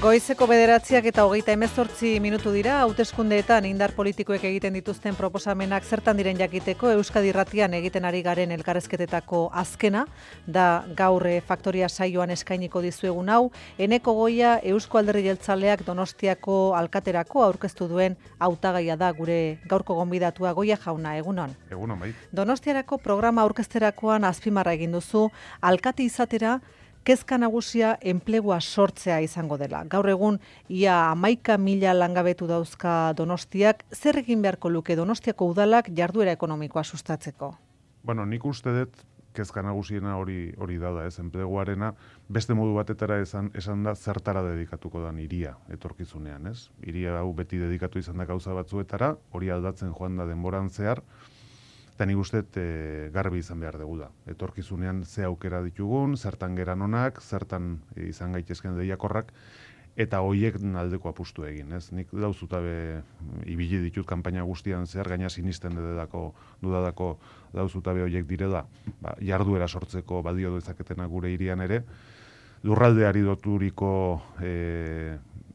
Goizeko 9:28 minutu dira, hauteskundeetan indar politikoek egiten dituzten proposamenak zertan diren jakiteko Euskadi Irratian egiten ari garen elkarrezketetako azkena, da gaur faktoria saioan eskainiko dizuegun hau, Eneko Goia Eusko Alderdi Jeltzaleak Donostiako alkaterako aurkeztu duen hautagaia da gure gaurko gonbidatua. Goia jauna, egunon. Egunon, bai. Donostiarako programa aurkezterakoan azpimarra egin duzu, alkate izatera kezka nagusia enplegua sortzea izango dela. Gaur egun, ia 11.000 langabetu dauzka Donostiak, zer egin beharko luke Donostiako udalak jarduera ekonomikoa sustatzeko? Bueno, nik uste dut kezka nagusiena hori da, ez, enpleguarena, beste modu batetara esan da zertara dedikatuko dan hiria etorkizunean, ez? Hiria hau beti dedikatu izan da gauza batzuetara, hori aldatzen joan da denboran zehar, eta nik uste garbi izan behar dugu da. Etorkizunean ze aukera ditugun, zertan geran onak, zertan izan gaitezken deiakorrak, eta hoiek aldeko apustu egin. Ez? Nik dauzutabe ibili ditut kanpaina guztian zehar, gaina sinisten dudadako dauzutabe hoiek direla, jarduera sortzeko badio dezaketena gure hirian ere, lurraldeari doturiko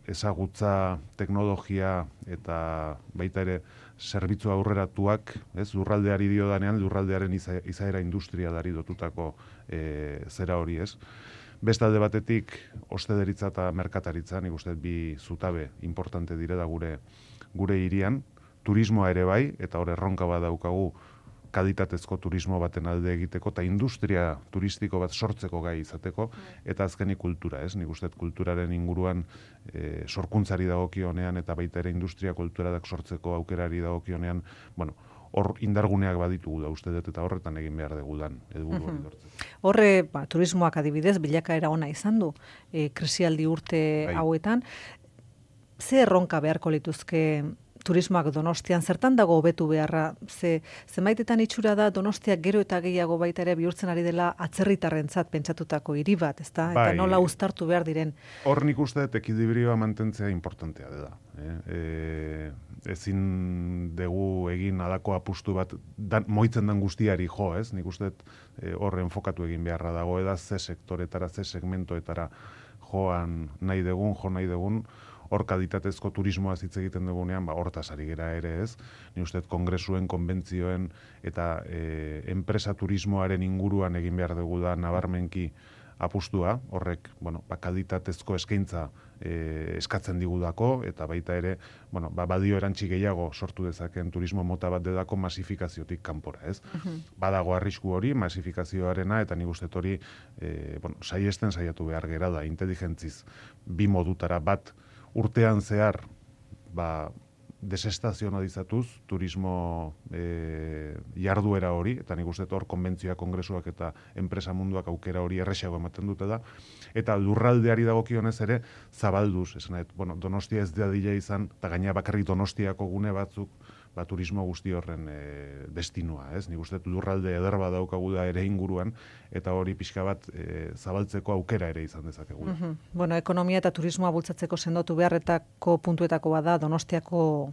ezagutza, teknologia eta baita ere zerbitzu aurreratuak, ez, lurraldeari dio danean, lurraldearen izaera industria dari dotutako zera hori, ez. Bestalde batetik, ostederitza eta merkataritza, nik uste bi zutabe importante direla gure hirian, turismoa ere bai, eta hor erronka bat daukagu kalitatezko turismo baten alde egiteko, eta industria turistiko bat sortzeko gai izateko, eta azkenik kultura, ez? Nik uste kulturaren inguruan sorkuntzari dagokionean, eta baita ere industria kulturadak sortzeko aukerari dagokionean, bueno, hor indarguneak baditugu da uste dut, eta horretan egin behar degudan, helburu hori lortzeko. Horre, turismoak adibidez, bilakaera ona izan du, krisialdi urte hauetan, ze erronka beharko lituzke turismoak Donostian, zertan dago hobetu beharra, zenbaitetan itxura da Donostiak gero eta gehiago baita ere bihurtzen ari dela atzerritarrentzat pentsatutako hiri bat, ezta? Eta nola uztartu behar diren. Hor nik uste ekidibrioa mantentzea importantea dela. Ezin dugu egin alako apustu bat moitzen den guztiari jo, ez? Nik uste hor enfokatu egin beharra dago, eda ze sektoretara, ze segmentoetara jo nahi dugun, hor kalitatezko turismoa hitz egiten dugunean, hortaz ari gera ere ez. Ni uste kongresuen, konbentzioen eta enpresa turismoaren inguruan egin behar dugu da nabarmenki apustua, horrek, kalitatezko eskaintza eskatzen digudako, eta baita ere, badio erantzi gehiago sortu dezaken turismo mota bat dedako masifikaziotik kanpora, ez? Badago arrisku hori, masifikazioarena, eta nik uste hori, saiesten saiatu behar gera da, inteligentziz, bi modutara bat, urtean zehar, desestazionalizatuz turismo jarduera hori, eta nik uste hor konbentzioak, kongresuak eta enpresa munduak aukera hori erresago ematen dute da, eta lurraldeari dagokionez ere zabalduz, Donostia ez dadila izan, eta gaina bakarrik Donostiako gune batzuk, turismo guzti horren destinua, ez? Nik uste lurralde ederba daukagu da ere inguruan, eta hori pixka bat zabaltzeko aukera ere izan dezakegu. Ekonomia eta turismoa bultzatzeko sendotu beharretako puntuetako bada Donostiako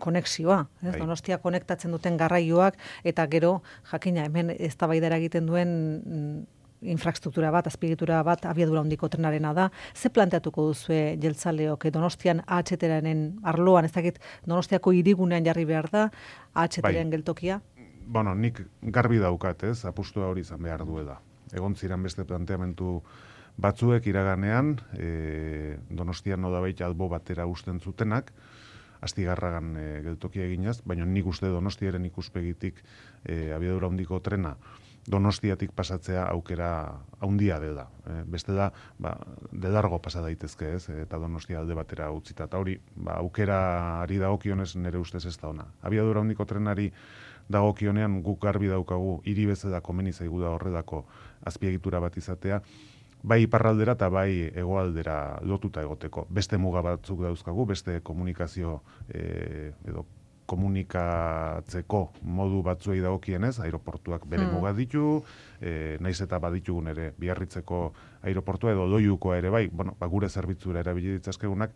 konexioa, ez? Donostia konektatzen duten garraioak, eta gero, jakina, hemen eztabaidara egiten duen infrastruktura bat, azpiegitura bat, abiadura handiko trenarena da. Ze planteatuko duzue jeltzaleok Donostian AHT-aren arloan, ez dakit Donostiako hirigunean jarri behar da AHT-aren geltokia? Nik garbi daukat, ez, apustua hori izan behar duela. Egon ziren beste planteamentu batzuek iraganean, Donostian nodabait albo batera usten zutenak, Astigarragan geltokia eginaz, baina nik uste Donostiaren ikuspegitik abiadura handiko trena Donostiatik pasatzea aukera handia dela. Beste da, de largo pasa daitezke, ez, eta Donostia alde batera utzita. Eta hori, aukerari dagokionez nire ustez ez da ona. Abiadura handiko trenari dagokionean guk garbi daukagu, hiri bezala komeni zaigu da horredako azpiegitura bat izatea, bai iparraldera eta bai hegoaldera lotuta egoteko. Beste muga batzuk dauzkagu, beste komunikazio edo komunikatzeko modu batzuei dagokienez, aeroportuak bere muga ditu, naiz eta baditugun ere Biarritzeko aeroportua edo Loiukoa ere bai, gure zerbitzura erabili ditzazkegunak,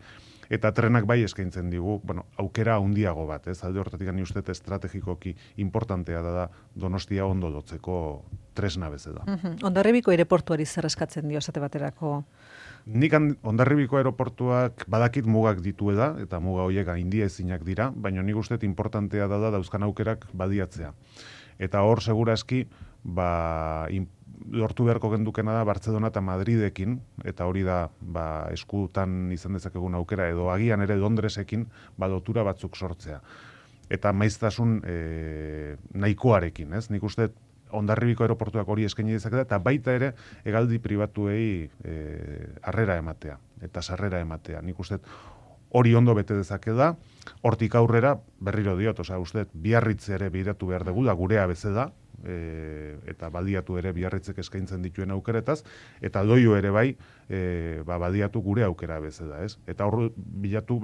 eta trenak bai eskaintzen digu, aukera handiago bat, ez? Alde horretatik ni uste estrategikoki importantea da Donostia ondo lotzeko tresna bezala. Hondarribiko aireportuari zer eskatzen dio esate baterako Nik Hondarribiko aeroportuak badakit mugak dituela, eta muga horiek gaindia ezinak dira, baina nik uste importantea da dauzkan aukerak badiatzea. Eta hor segurazki, lortu beharko gendukena da Bartzelona eta Madridekin, eta hori da eskutan izan dezakegun aukera, edo agian ere Londresekin lotura batzuk sortzea. Eta maiztasun nahikoarekin, ez? Nik uste Hondarribiko aeroportuak hori eskaini dezaketa, eta baita ere hegaldi pribatuei harrera ematea, eta sarrera ematea. Nik uste hori ondo bete dezakeda, hortik aurrera berriro diot, uste Biarritze ere biratu behar dugu, da gurea bezala, eta baliatu ere Biarritzek eskaintzen dituen aukeretaz, eta Loio ere bai, baliatu gure aukera bezala, ez? Eta hor bilatu,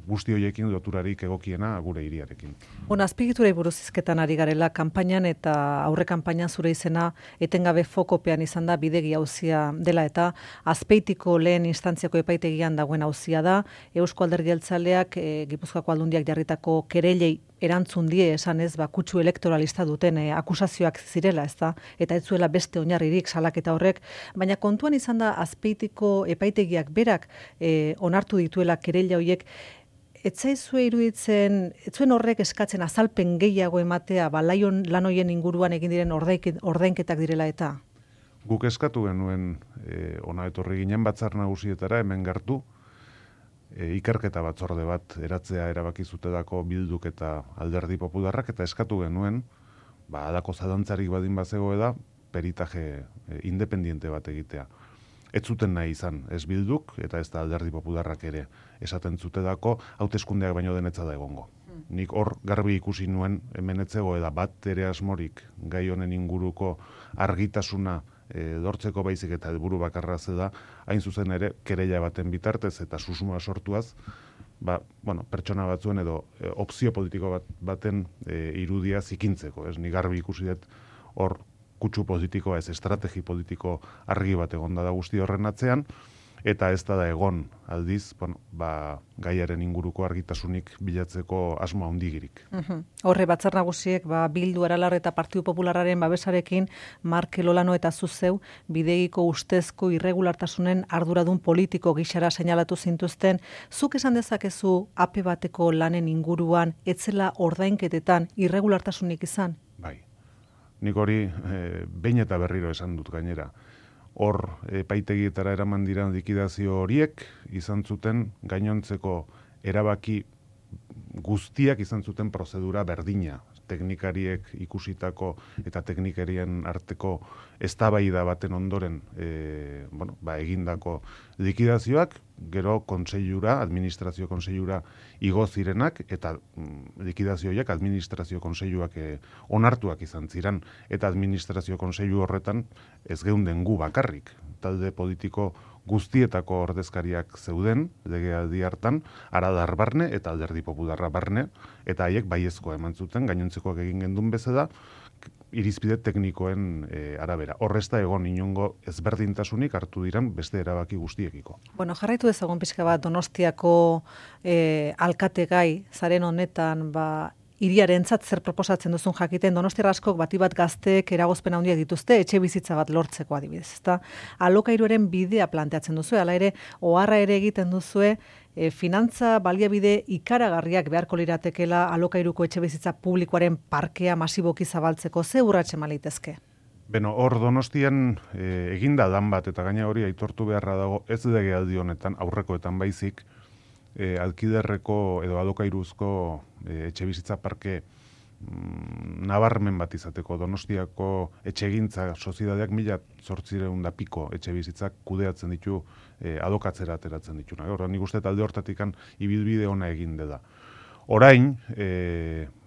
guzti horiekin loturarik egokiena gure hiriarekin. Azpiegiturei buruz hizketan ari garela, kanpainan eta aurre kanpainan zure izena etengabe fokopean izan da bidegi auzia dela, eta Azpeitiko lehen instantziako epaitegian dagoen auzia da, Eusko Alderdi Jeltzaleak Gipuzkoako Aldundiak jarritako kerelei erantzun die esanez, kutsu elektoralista duten akusazioak zirela, ezta? Eta ez zuela beste oinarririk salaketa horrek, baina kontuan izan da Azpeitiko epaitegiak berak onartu dituela kereila horiek, ez zaizue iruditzen, ez zuen horrek eskatzen azalpen gehiago ematea, lan horien inguruan egin diren ordainketak direla eta? Guk eskatu genuen ona etorri ginen Batzar Nagusietara hemen gertu, ikerketa batzorde bat eratzea erabaki zutelako Bilduk eta Alderdi Popularrak, eta eskatu genuen, halako zalantzarik badin bazego da, peritaje independiente bat egitea. Ez zuten nahi izan, ez Bilduk eta ez da Alderdi Popularrak ere esaten zutelako, hauteskundeak baino denetza da egongo. Nik hor garbi ikusi nuen hemen etzegoela bat ere asmorik gai honen inguruko argitasuna lortzeko baizik eta helburu bakarra da, hain zuzen ere kereila baten bitartez eta susmoa sortuaz, pertsona batzuen edo opzio politiko baten irudia zikintzeko. Nik garbi ikusi dut hor kutsu politikoa ez estrategi politiko argi bat egonda da guzti horren atzean, eta ez da egon aldiz, gaiaren inguruko argitasunik bilatzeko asmo handigirik. Horre, Batzar Nagusiek Bildu, Aralar eta Partidu Popularraren babesarekin Markel Olano eta zuzeu bidegiko ustezko irregulartasunen arduradun politiko gixara seinalatu zintuzten. Zuk esan dezakezu ape bateko lanen inguruan etzela ordainketetan irregulartasunik izan? Bai. Nik hori behin eta berriro esan dut gainera. Hor epaitegietara eraman diran likidazio horiek izan zuten gainontzeko erabaki guztiak izan zuten prozedura berdina. Teknikariek ikusitako eta teknikarien arteko eztabaida baten ondoren egindako likidazioak, gero kontseilura, administrazio kontseilura igo zirenak, eta likidazio horiek administrazio kontseiluak onartuak izan ziren, eta administrazio kontseilu horretan ez geunden gu bakarrik. Talde politiko guztietako ordezkariak zeuden, legealdi hartan, Aradar barne eta Alderdi Popularra barne, eta haiek baiezkoa eman zuten, gainontzekoak egin gendun bezala, irizpide teknikoen arabera. Horrezta egon inongo ezberdintasunik hartu diran beste erabaki guztiekiko. Jarraitu dezagun pixka bat Donostiako alkate gai, zaren honetan, hiriarentzat zer proposatzen duzun jakiten, Donostiar askok bati bat gazteek eragozpen handiak dituzte, etxe bizitza bat lortzeko adibidez, ezta? Alokairuaren bidea planteatzen duzu, hala ere, oharra ere egiten duzue, finantza baliabide ikaragarriak beharko liratekela alokairuko etxe bizitza publikoaren parkea masiboki zabaltzeko, ze urratxe malitezke? Hor Donostian eginda lan bat, eta gaina hori aitortu beharra dago, ez legealdi honetan, aurrekoetan baizik, alkiderreko edo alokairuzko etxe bizitza parke nabarmen bat izateko. Donostiako etxegintza soziedadeak 1.800 piko etxe bizitzak kudeatzen ditu, alokatzera ateratzen ditu. Nik uste talde hortatikan ibilbide ona egin da. Orain,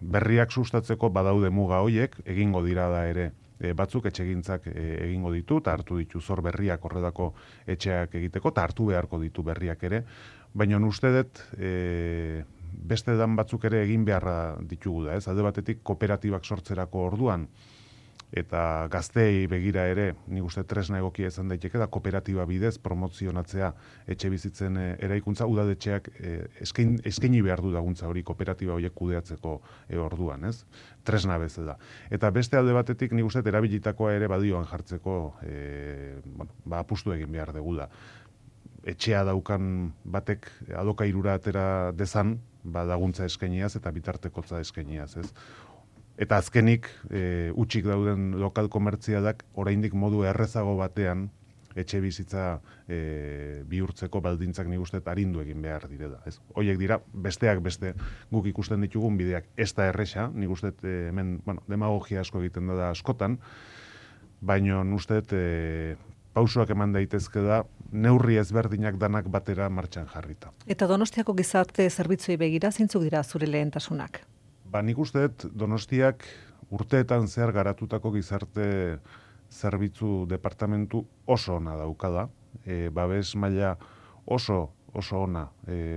berriak sustatzeko badaude muga hoiek, egingo dira da ere batzuk etxegintzak egingo ditu, eta hartu ditu zor berriak horredako etxeak egiteko, eta hartu beharko ditu berriak ere, baina uste dut beste dan batzuk ere egin beharra ditugu da, ez? Alde batetik kooperatibak sortzerako orduan, eta gazteei begira ere, nik uste tresna egokia izan daiteke da kooperatiba bidez promozionatzea etxe bizitzen eraikuntza, udadetxeak eskaini behar du daguntza hori kooperatiba horiek kudeatzeko orduan, ez? Tresna bezala. Eta beste alde batetik nik uste erabilitakoa ere badioan jartzeko apustu egin behar degula. etxea daukan batek alokairura atera dezan, laguntza eskainiaz eta bitartekotza eskainiaz, ez? Eta azkenik, utxik dauden lokal komertzialak oraindik modu errezago batean etxe bizitza bihurtzeko baldintzak nik uste arindu egin behar direla. Ez? Hoiek dira, besteak beste guk ikusten ditugun bideak ez da erresa, nik uste hemen demagogia asko egiten da askotan, baina uste pausoak eman daitezke da, neurri ezberdinak danak batera martxan jarrita. Eta Donostiako gizarte zerbitzuei begira, zeintzuk dira zure lehentasunak? Nik uste Donostiak urteetan zehar garatutako gizarte zerbitzu departamentu oso ona daukada, babes maila oso ona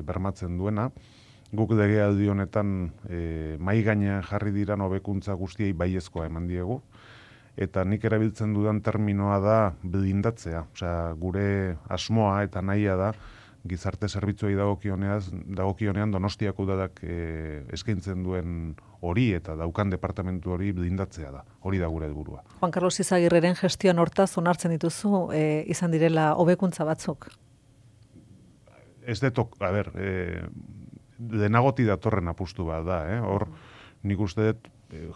bermatzen duena. Guk legealdi honetan mahai gainean jarri diran hobekuntza guztiei baiezkoa eman diegu, eta nik erabiltzen dudan terminoa da blindatzea. Osea, gure asmoa eta nahia da gizarte zerbitzuei dagokionean Donostiako udadak eskaintzen duen hori eta daukan departamentu hori blindatzea da. Hori da gure helburua. Juan Carlos Izagirreren gestioan hortaz onartzen dituzu izan direla hobekuntza batzuk? Ez detok, denagoti datorren apustu bat da, hor nik uste dut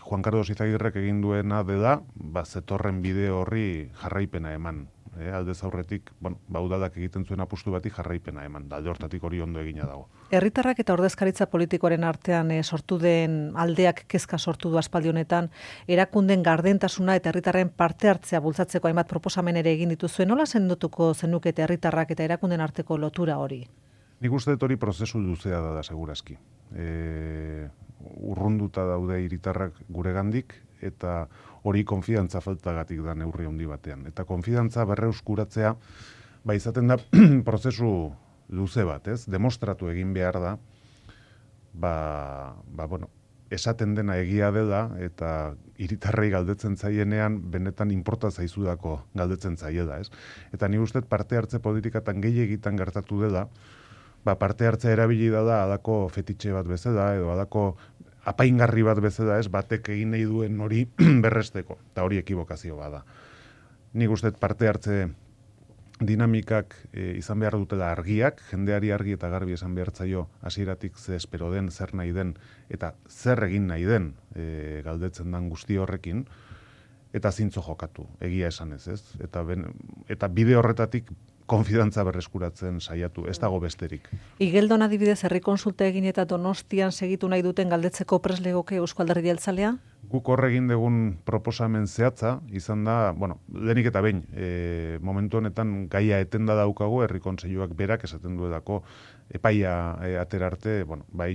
Juan Carlos Izagirrek egin duena dela, zetorren bide horri jarraipena eman. Aldez aurretik, udadak egiten zuen apustu bati jarraipena eman, alde hortatik hori ondo egina dago. Herritarrak eta ordezkaritza politikoaren artean sortu den aldeak kezka sortu du aspaldi honetan, erakunden gardentasuna eta herritarren parte hartzea bultzatzeko hainbat proposamen ere egin dituzuen, nola sendotuko zenukete herritarrak eta erakunden arteko lotura hori? Nik uste dut hori prozesu luzea da segurazki. Urrunduta daude hiritarrak guregandik eta hori konfidantza faltagatik da neurri handi batean. Eta konfidantza berreuskuratzea izaten da prozesu luze bat, ez? Demostratu egin behar da, esaten dena egia dela eta hiritarrei galdetzen zaienean benetan inporta zaizudako galdetzen zaiela, ez? Eta nik uste parte hartze politikatan gehiegitan gertatu dela, parte hartzea erabili da alako fetitxe bat bezala edo alako apaingarri bat bezala, ez, batek egin nahi duen hori berresteko, eta hori ekibokazio bada. Nik uste parte hartze dinamikak izan behar dutela argiak, jendeari argi eta garbi esan behar zaio hasieratik ze espero den, zer nahi den, eta zer egin nahi den galdetzen den guzti horrekin, eta zintzo jokatu, egia esan ez. Eta bide horretatik konfidantza berreskuratzen saiatu, ez dago besterik. Igeldon adibidez herri kontsulta egin eta Donostian segitu nahi duten galdetzeko prest legoke Euzko Alderdi Jeltzalea? Guk horre egin dugun proposamen zehatza, izan da, lehenik eta behin, momentu honetan gaia etenda daukagu, herri kontseiluak berak esaten duelako epaia atera arte,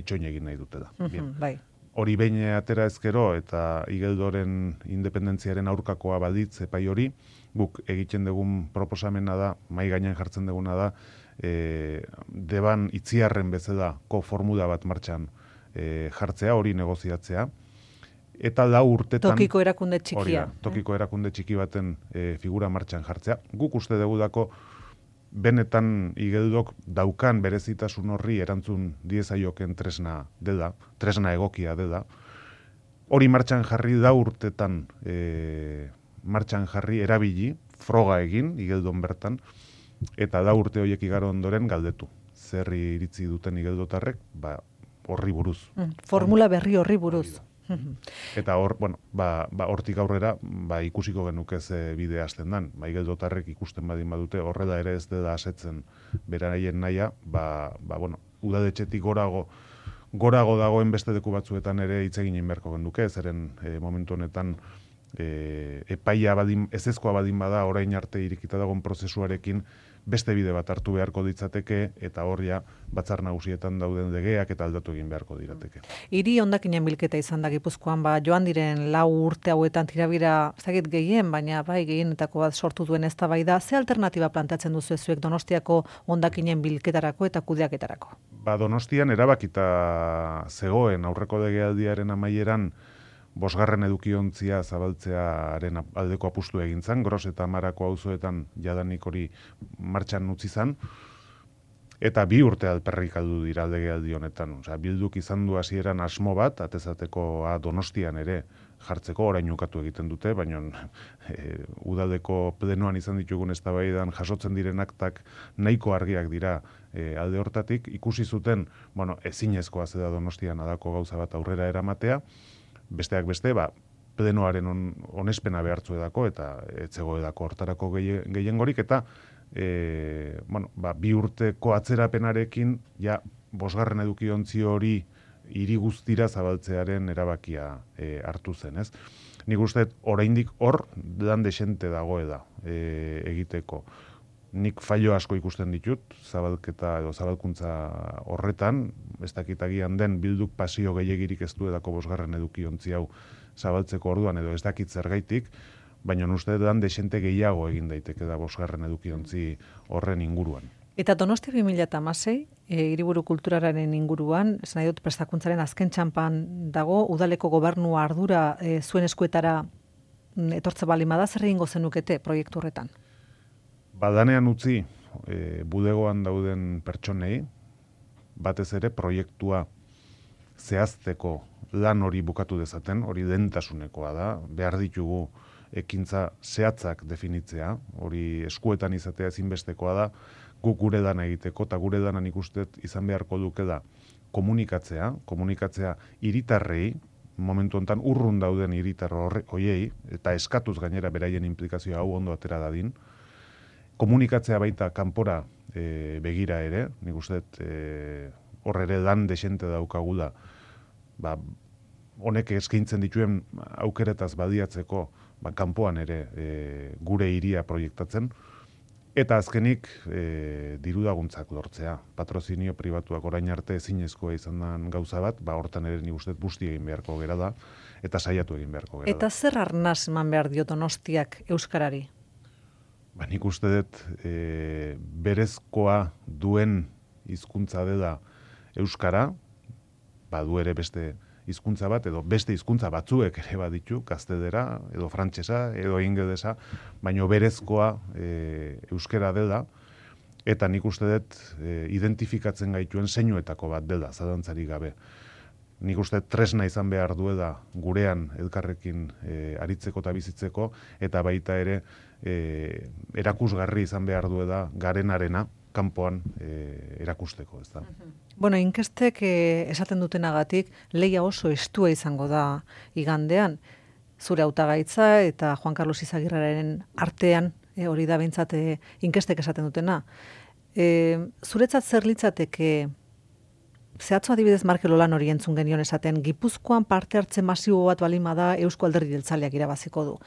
itxoin egin nahi dutela. Bai. Hori behin atera ezkero eta Igeldoren independentziaren aurkakoa balditz epai hori, guk egiten dugun proposamena da, mahai gainean jartzen duguna da, deban itziarren bezalako formula bat martxan jartzea, hori negoziatzea, eta 4 urtetan... Tokiko erakunde txikia. Tokiko erakunde txiki baten figura martxan jartzea. Guk uste dugudako benetan Igeldok daukan berezitasun horri erantzun diezaioken tresna dela, tresna egokia dela. Hori martxan jarri 4 urtetan martxan jarri erabili, froga egin, Igeldon bertan, eta 4 urte horiek igaro ondoren galdetu. Zerri iritzi duten igeldotarrek, horri buruz. Formula berri horri buruz. Eta hor, hortik aurrera, ikusiko genuke ze bide hasten dan. Igeldotarrek ikusten badin badute, horrela ere ez dela asetzen beraien naia, udadetxetik gorago dagoen beste leku batzuetan ere hitz egin beharko genuke, zeren momentu honetan epaia ezezkoa badin bada orain arte irikita dagoen prozesuarekin beste bide bat hartu beharko ditzateke eta horria batzar nagusietan dauden legeak eta aldatu egin beharko dirateke. Hiri hondakinen bilketa izan da Gipuzkoan, joan diren 4 urte hauetan tirabira, zagit gehien, baina gehienetako bat sortu duen eztabaida, ze alternatiba planteatzen duzu zuek Donostiako hondakinen bilketarako eta kudeaketarako? Donostian erabakita zegoen aurreko legealdiaren amaieran 5. edukiontzia zabaltzearen aldeko apustu egin zan, Gros eta Amarako auzoetan jadanik hori martxan utzi zan, eta 2 urte alperrik aldu dira legealdi honetan. Bilduk izan du hasieran asmo bat, atezateko Donostian ere jartzeko, orain ukatu egiten dute, baina udaldeko plenoan izan ditugun eztabaidan jasotzen diren aktak nahiko argiak dira alde hortatik, ikusi zuten, ezinezkoa zeda Donostian adako gauza bat aurrera eramatea, besteak beste, plenoaren onespena behartzu edako, eta etzego edako hortarako gehiengorik, eta bi urteko atzerapenarekin, ja, 5. edukiontzi hori hiri guztira zabaltzearen erabakia hartu zen, ez? Nik uste, oraindik hor, lan desente dagoela egiteko. Nik fallo asko ikusten ditut, zabalketa edo zabalkuntza horretan, ez dakitagian den bilduk pasio gehiagirik ez duelako 5. edukiontzi hau zabaltzeko orduan, edo ez dakit zergaitik, baina uste lan desente gehiago egin daiteke da 5. edukiontzi horren inguruan. Eta Donostia 2016, hiriburu kulturaren inguruan, esan nahi dut prestakuntzaren azken txanpan dago, udaleko gobernua ardura zuen eskuetara etortze balimada, zer egingo zenukete proiektu horretan? Badanean utzi, bulegoan dauden pertsonei, batez ere proiektua zehazteko lan hori bukatu dezaten, hori lehentasunekoa da, behar ditugu ekintza zehatzak definitzea, hori eskuetan izatea ezinbestekoa da, guk gure dana egiteko, eta gure dana nik uste izan beharko duke da komunikatzea hiritarrei, momentu honetan urrun dauden hiritar hoiei, eta eskatuz gainera beraien implikazioa hau ondo atera dadin, komunikatzea baita kanpora begira ere, nik uste hor ere lan desente daukagula, honek eskaintzen dituen aukeretaz badiatzeko, kanpoan ere gure hiria proiektatzen, eta azkenik dirudaguntzak lortzea. Patrozinio pribatuak orain arte ezinezkoa izan den gauza bat, hortan ere nik uste busti egin beharko gera da, eta saiatu egin beharko gera da. Eta zer arnaz eman behar dio Donostiak euskarari? Nik uste dut berezkoa duen hizkuntza dela euskara, badu ere beste hizkuntza bat, edo beste hizkuntza batzuek ere baditu, gaztedera, edo frantsesa, edo ingelesa, baina berezkoa euskara dela, eta nik uste dut identifikatzen gaituen zeinuetako bat dela, zalantzarik gabe. Nik uste tresna izan behar duela gurean elkarrekin aritzeko eta bizitzeko, eta baita ere erakusgarri izan behar duela garenarena kanpoan erakusteko, ez da. Bueno, inkestek esaten dutenagatik lehia oso estua izango da igandean. Zure hautagaitza eta Juan Carlos Izagirraren artean, hori da behintzat inkestek esaten dutena. Zuretzat zer litzateke, zehatzu adibidez Markel Olan hori entzun genion esaten, Gipuzkoan parte hartze masibo bat balima da Eusko Alderdi Jeltzaleak irabaziko du.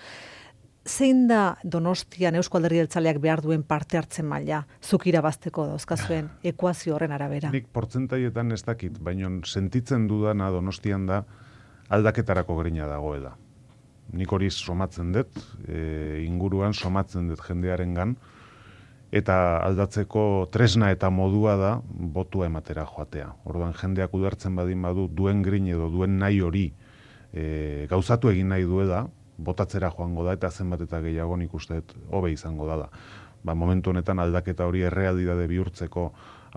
Zein da Donostian Eusko Alderdi Jeltzaleak behar duen parte hartzen maila, zuk irabazteko dauzkazuen ekuazio horren arabera? Nik portzentaietan ez dakit, baina sentitzen dudana Donostian da aldaketarako grina dagoela. Nik hori somatzen dut, inguruan somatzen dut jendearengan, eta aldatzeko tresna eta modua da botua ematera joatea. Orduan jendeak ulertzen badin badu duen grin edo duen nahi hori gauzatu egin nahi duela, botatzera joango da, eta zenbat eta gehiago nik uste hobe izango dala. Momentu honetan aldaketa hori errealitate bihurtzeko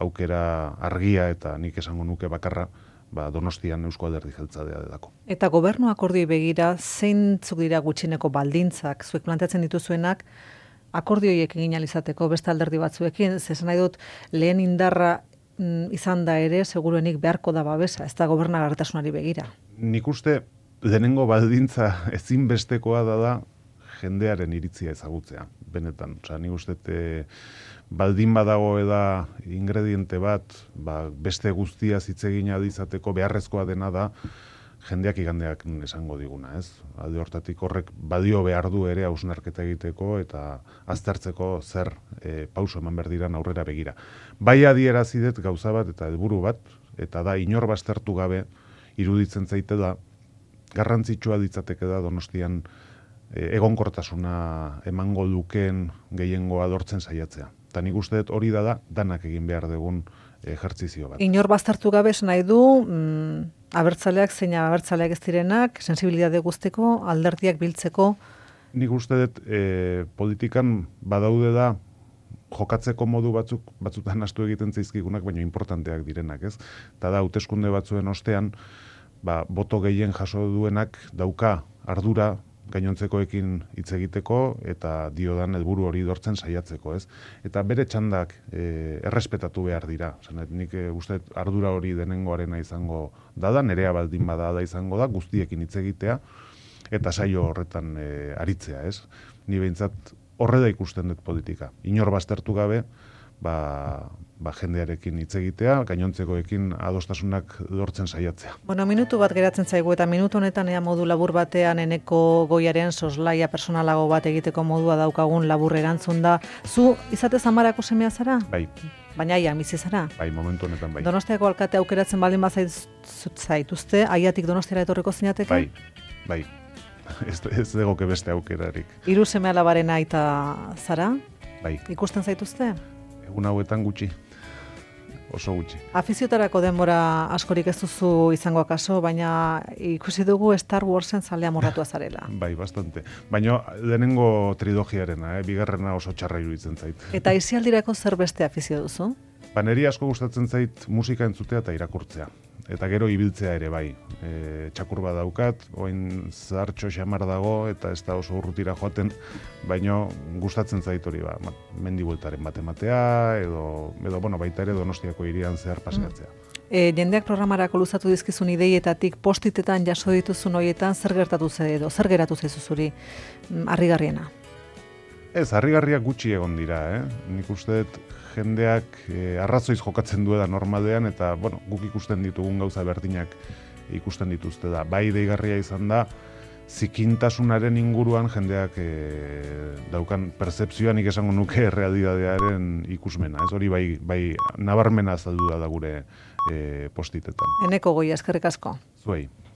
aukera argia eta nik esango nuke bakarra, Donostian Eusko Alderdi Jeltzalea delako. Eta gobernu akordioi begira, zeintzuk dira gutxineko baldintzak, zuek planteatzen dituzuenak, akordioiek egin alizateko beste alderdi batzuekin, zesan nahi dut lehen indarra izan da ere, seguruenik beharko da babesa, ez da gobernagarritasunari begira. Nik uste lehenengo baldintza ezinbestekoa da jendearen iritzia ezagutzea, benetan. Nik uste baldin badago eda ingrediente bat, beste guztia hitz egin izateko beharrezkoa dena da jendeak igandeak esango diguna, ez? Alde hortatik horrek badio behar du ere hausnarketa egiteko eta aztertzeko zer pauso eman behar diran aurrera begira. Bai adierazidet gauza bat eta helburu bat, eta da inor baztertu gabe iruditzen zaite da garrantzitsua ditzateke da Donostian egonkortasuna emango lukeen gehiengoa lortzen saiatzea. Eta nik uste dut hori da danak egin behar dugun ejertzizio bat. Inor baztertu gabe esan nahi du, abertzaleak zein abertzaleak ez direnak, sensibilitate guzteko, alderdiak biltzeko. Nik uste dut politikan badaude da jokatzeko modu batzutan astu egiten zaizkigunak, baina importanteak direnak, ez? Eta da, hauteskunde batzuen ostean, boto gehien jaso duenak dauka ardura gainontzekoekin hitz egiteko eta diodan helburu hori dortzen saiatzeko, ez? Eta bere txandak errespetatu behar dira. Nik uste ardura hori denengoarena izango da, nerea baldin bada da izango da, guztiekin hitz egitea eta saio horretan aritzea, ez? Ni behintzat horre da ikusten dut politika. Inor baztertu gabe, jendearekin hitz egitea, gainontzekoekin adostasunak lortzen saiatzea. Bueno, minutu bat geratzen zaigu eta minutu honetan ea modu labur batean Eneko Goiaren soslaia personalago bat egiteko modua daukagun labur erantzun da. Zu izatez Amarako semea zara? Bai. Baina aian bizi zara? Bai, momentu honetan bai. Donostiako alkate aukeratzen baldin bazaituzte, aiatik Donostiara etorriko zinateke? Bai. Ez degoke beste aukerarik. 3 seme-alabaren aita zara? Bai. Ikusten zaituzte? Egun hauetan gutxi. Oso gutxi. Afiziotarako denbora askorik ez duzu izango akaso, baina ikusi dugu Star Warsen zalea morratua zarela. Bai, bastante. Baina lehenengo trilogiarena, bigarrena oso txarra iruditzen zait. Eta aisialdirako zer beste afizio duzu? Neri asko gustatzen zait musika entzutea eta irakurtzea. Eta gero ibiltzea ere bai. Txakur bat daukat, oin zahartxo xamar dago, eta ez da oso urrutira joaten, baino gustatzen zait hori mendi bueltaren bat ematea, edo baita ere Donostiako hirian zehar paseatzea. Jendeak programarako luzatu dizkizun ideietatik postitetan jaso dituzun horietan zer gertatu edo zer geratu zaizu zuri harrigarriena? Ez, harrigarriak gutxi egon dira, Nik uste dut jendeak arrazoiz jokatzen duela normalean, eta guk ikusten ditugun gauza berdinak ikusten dituzte da. Bai deigarria izan da, zikintasunaren inguruan jendeak daukan pertzepzioa nik esango nuke realitatearen ikusmena. Ez hori bai nabarmena azaldu da gure postitetan. Eneko Goia, eskerrik asko. Zuei.